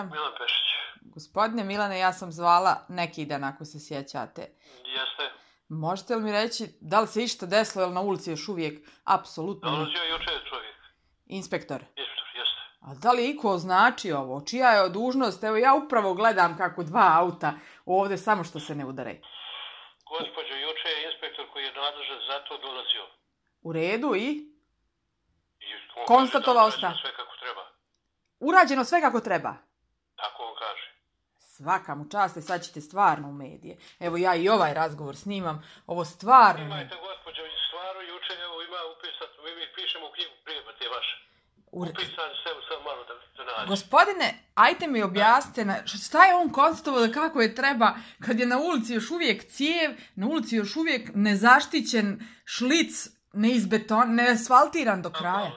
Milan Pešić. Gospodine Milane, ja sam zvala neki dan, ako se sjećate. Jeste. Možete li mi reći da li se išta desilo, ili na ulici još uvijek apsolutno... Dolazio je juče čovjek. Inspektor? Inspektor, jeste. A da li iko označi ovo? Čija je dužnost? Evo ja upravo gledam kako dva auta ovdje, samo što se ne udare. Gospođo, juče je inspektor koji je nadležan za to dolazio. U redu i? Konstatovao šta? Sve kako treba. Urađeno sve kako treba? Tako on kaže. Svaka mu čast, sad ćete stvarno u medije. Evo ja i ovaj razgovor snimam. Ovo stvarno... Imajte, gospođo, stvarno juče evo ima upisat, mi pišemo u knjigu prijema te vaše. Upisani sve samo malo da nađe. Gospodine, ajte mi objasnite, šta je on konstatovao da kako je treba, kad je na ulici još uvijek cijev, na ulici još uvijek nezaštićen šlic, neasfaltiran do kraja?